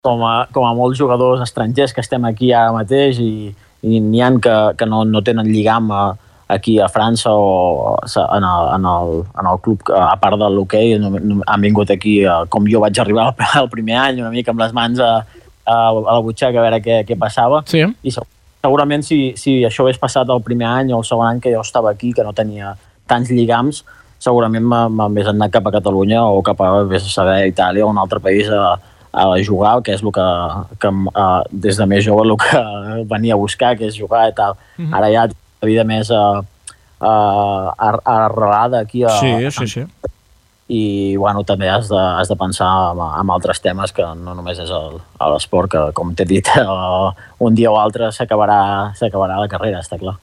com a molts jugadors estrangers que estem aquí ara mateix i n'hi ha que no tenen lligam aquí a França o en el club, a part de l'hoquei, han vingut aquí, com jo vaig arribar el primer any, una mica amb les mans a la butxaca a veure què passava. Sí. I segurament si això hagués passat el primer any o el segon any que jo estava aquí, que no tenia tants lligams, segurament m'hagués anat cap a Catalunya o cap a Itàlia o un altre país a jugar, que és el que des de més jove el que venia a buscar, que és jugar i tal. Ara ja la vida més arrelada aquí sí. I bueno, també has de pensar en altres temes que no només és l'esport, que com t'he dit un dia o altre s'acabarà la carrera, està clar.